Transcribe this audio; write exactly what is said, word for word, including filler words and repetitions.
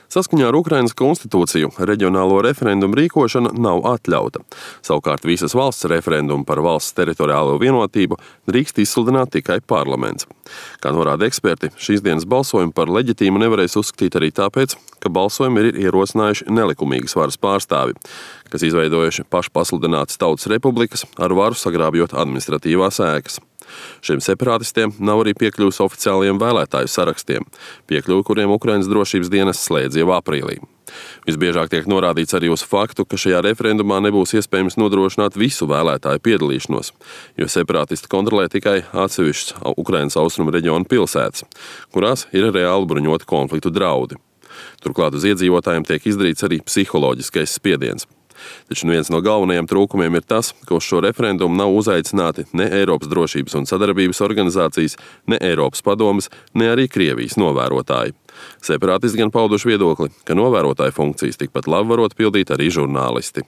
Saskaņā ar Ukrainas konstitūciju reģionālo referendumu rīkošana nav atļauta. Savukārt visas valsts referendumu par valsts teritoriālo vienotību drīkst izsludināt tikai parlaments. Kā norāda eksperti, šīs dienas balsojumu par leģitīmu nevarēs uzskatīt arī tāpēc, ka balsojumu ir ierosinājuši nelikumīgas varas pārstāvi, kas izveidojuši pašpasludinātas tautas republikas, ar varu sagrābjot administratīvās ēkas. Šiem separātistiem nav arī piekļuvis oficiālajiem vēlētāju sarakstiem, piekļuvi kuriem Ukrainas drošības dienas slēdz jau aprīlī. Visbiežāk tiek norādīts arī uz faktu, ka šajā referendumā nebūs iespējams nodrošināt visu vēlētāju piedalīšanos, jo separātisti kontrolē tikai atsevišķas Ukrainas austrumu reģionu pilsētas, kurās ir reāli bruņoti konfliktu draudi. Turklāt uz iedzīvotājiem tiek izdarīts arī psiholoģiskais spiediens. Taču viens no galvenajiem trūkumiem ir tas, ka uz šo referendumu nav uzaicināti ne Eiropas drošības un sadarbības organizācijas, ne Eiropas padomes, ne arī Krievijas novērotāji. Separātisti gan pauduši viedokli, ka novērotāju funkcijas tikpat labi varot pildīt arī žurnālisti.